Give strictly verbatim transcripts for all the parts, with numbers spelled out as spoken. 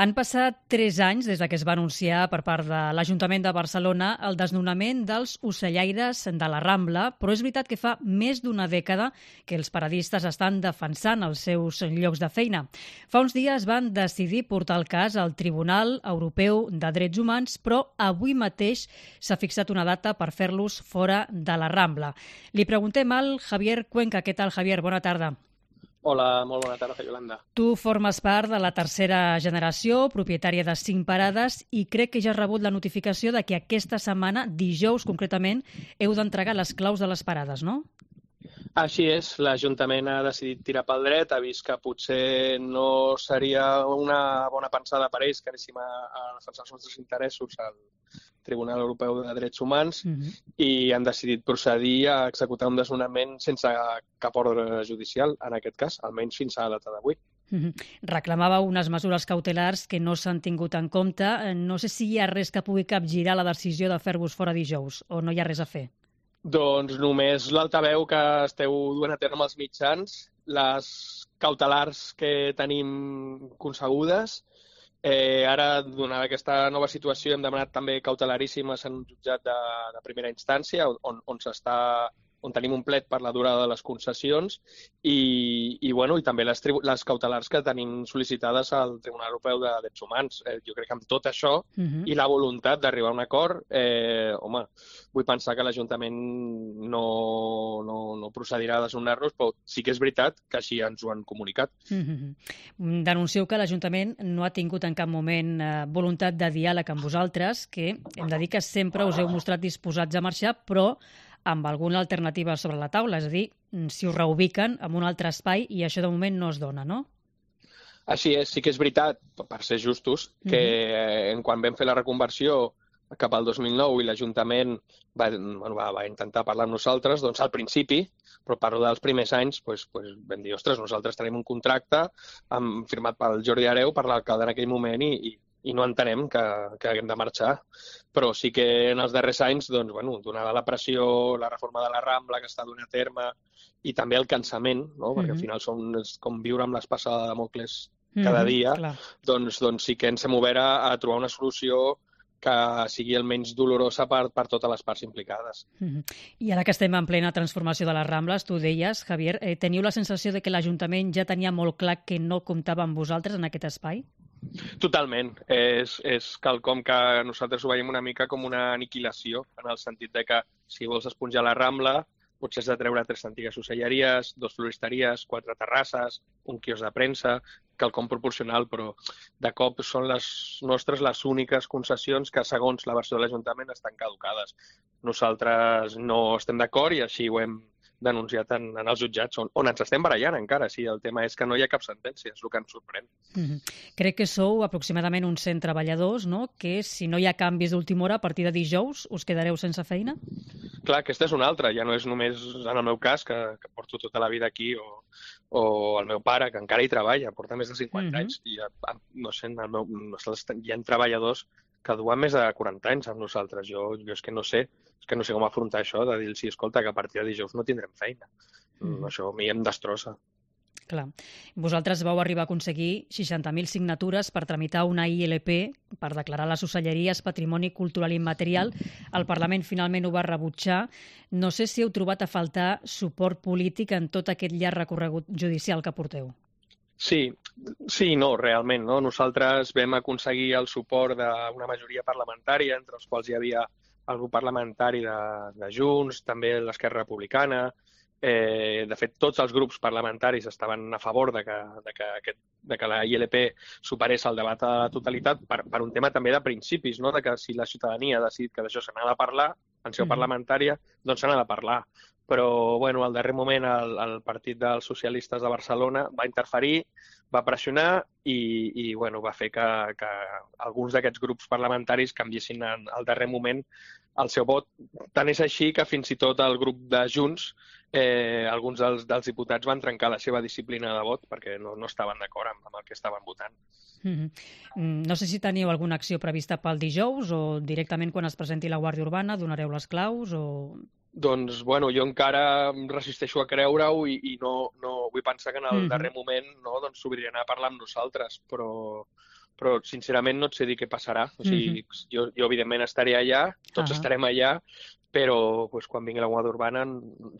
Han passat tres anys des que es va anunciar per part de l'Ajuntament de Barcelona el desnonament dels ocellaires de la Rambla, però és veritat que fa més d'una dècada que els paradistes estan defensant els seus llocs de feina. Fa uns dies van decidir portar el cas al Tribunal Europeu de Drets Humans, però avui mateix s'ha fixat una data per fer-los fora de la Rambla. Li preguntem al Javier Cuenca. Què tal, Javier? Bona tarda. Hola, molt bona tarda, Yolanda. Tu formes part de la tercera generació, propietària de cinc parades, i crec que ja has rebut la notificació de que aquesta setmana, dijous concretament, heu d'entregar les claus de les parades, no? Així és, l'Ajuntament ha decidit tirar pel dret, ha vist que potser no seria una bona pensada per ells que anéssim a, a defensar els nostres interessos al Tribunal Europeu de Drets Humans uh-huh. i han decidit procedir a executar un desnonament sense cap ordre judicial, en aquest cas, almenys fins a la data d'avui. Uh-huh. Reclamàveu unes mesures cautelars que no s'han tingut en compte. No sé si hi ha res que pugui capgirar la decisió de fer-vos fora dijous o no hi ha res a fer. Doncs només l'altaveu que esteu duent a terme els mitjans, les cautelars que tenim concebudes. Eh, ara, donada aquesta nova situació, hem demanat també cautelaríssimes en un jutjat de, de primera instància, on, on s'està on tenim un plet per la durada de les concessions i, i, bueno, i també les, les cautelars que tenim sol·licitades al Tribunal Europeu de Drets Humans. Eh, jo crec que amb tot això uh-huh. i la voluntat d'arribar a un acord, eh, home, vull pensar que l'Ajuntament no, no, no procedirà a desnonar-nos, però sí que és veritat que així ens ho han comunicat. Uh-huh. Denuncieu que l'Ajuntament no ha tingut en cap moment eh, voluntat de diàleg amb vosaltres, que hem de dir que sempre us heu mostrat disposats a marxar, però amb alguna alternativa sobre la taula, és a dir, si us reubiquen en un altre espai i això de moment no es dona, no? Així és, sí que és veritat, per ser justos, que mm-hmm. quan vam fer la reconversió cap al dos mil nou i l'Ajuntament va, bueno, va, va intentar parlar amb nosaltres, doncs al principi, però parlo dels primers anys, doncs, doncs vam dir, ostres, nosaltres tenim un contracte amb, firmat pel Jordi Hereu, per l'alcalde en aquell moment i, i i no entenem que, que haguem de marxar. Però sí que en els darrers anys, doncs, bueno, donada la pressió, la reforma de la Rambla que està donant a terme i també el cansament, no? Perquè mm-hmm. al final són, és com viure amb l'espasa de Damocles cada mm-hmm, dia, doncs, doncs sí que ens hem obert a, a trobar una solució que sigui el menys dolorosa per, per totes les parts implicades. Mm-hmm. I ara que estem en plena transformació de les Rambles, tu deies, Javier, eh, teniu la sensació de que l'Ajuntament ja tenia molt clar que no comptava amb vosaltres en aquest espai? Totalment. És, és quelcom que nosaltres ho veiem una mica com una aniquilació, en el sentit de que si vols esponjar la Rambla, potser has de treure tres antigues ocelleries, dos floristeries, quatre terrasses, un quios de premsa, quelcom proporcional, però de cop són les nostres les úniques concessions que, segons la versió de l'Ajuntament, estan caducades. Nosaltres no estem d'acord i així ho hem denunciat en, en els jutjats, on, on ens estem barallant encara. Sí, el tema és que no hi ha cap sentència, és el que ens sorprèn. Mm-hmm. Crec que sou aproximadament uns cent treballadors, no? Que si no hi ha canvis d'última hora, a partir de dijous us quedareu sense feina? Clar, aquesta és una altra. Ja no és només en el meu cas, que, que porto tota la vida aquí, o, o el meu pare, que encara hi treballa, porta més de cinquanta mm-hmm. anys, i ja, no sé, en el meu, hi ha treballadors que duen més de quaranta anys amb nosaltres. Jo, jo és que no sé, és que no sé com afrontar això, de dir-los, escolta, que a partir de dijous no tindrem feina. Mm. Això a mi em destrossa. Clar. Vosaltres vau arribar a aconseguir seixanta mil signatures per tramitar una I L P per declarar les ocelleries Patrimoni Cultural Immaterial. El Parlament finalment ho va rebutjar. No sé si heu trobat a faltar suport polític en tot aquest llarg recorregut judicial que porteu. Sí, sí, no, realment. No? Nosaltres vam aconseguir el suport d'una majoria parlamentària, entre els quals hi havia el grup parlamentari de, de Junts, també l'Esquerra Republicana. Eh, de fet, tots els grups parlamentaris estaven a favor de que, de que, aquest, de que la I L P superés el debat a la totalitat per, per un tema també de principis, no? De que si la ciutadania ha decidit que d'això se n'ha de parlar en seu parlamentària, doncs se n'ha de parlar. Però, bueno, al darrer moment el, el Partit dels Socialistes de Barcelona va interferir, va pressionar i, i bueno, va fer que, que alguns d'aquests grups parlamentaris canviessin en, al darrer moment el seu vot. Tant és així que fins i tot el grup de Junts, eh, alguns dels, dels diputats van trencar la seva disciplina de vot perquè no, no estaven d'acord amb, amb el que estaven votant. Mm-hmm. No sé si teniu alguna acció prevista pel dijous o directament quan es presenti la Guàrdia Urbana donareu les claus o... Doncs, bueno, jo encara em resisteixo a creure-ho i, i no, no vull pensar que en el mm-hmm. darrer moment no, doncs s'obriran a parlar amb nosaltres, però, però sincerament no et sé dir què passarà. O sigui, mm-hmm. jo, jo evidentment estaré allà, tots uh-huh. estarem allà, però pues, quan vingui la Guàrdia Urbana,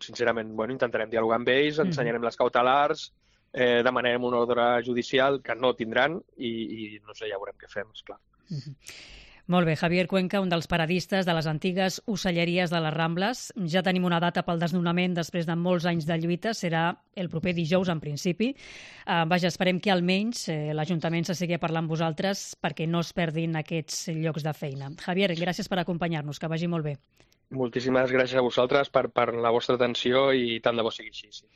sincerament, bueno, intentarem dialogar amb ells, mm-hmm. ensenyarem les cautelars, eh, demanarem un ordre judicial que no tindran i, i no sé, ja veurem què fem, esclar. Mm-hmm. Molt bé, Javier Cuenca, un dels paradistes de les antigues ocelleries de les Rambles. Ja tenim una data pel desnonament després de molts anys de lluita, serà el proper dijous en principi. Uh, vaja, esperem que almenys eh, l'Ajuntament se sigui a parlar amb vosaltres perquè no es perdin aquests llocs de feina. Javier, gràcies per acompanyar-nos, que vagi molt bé. Moltíssimes gràcies a vosaltres per, per la vostra atenció i tant de bo sigui així. Sí.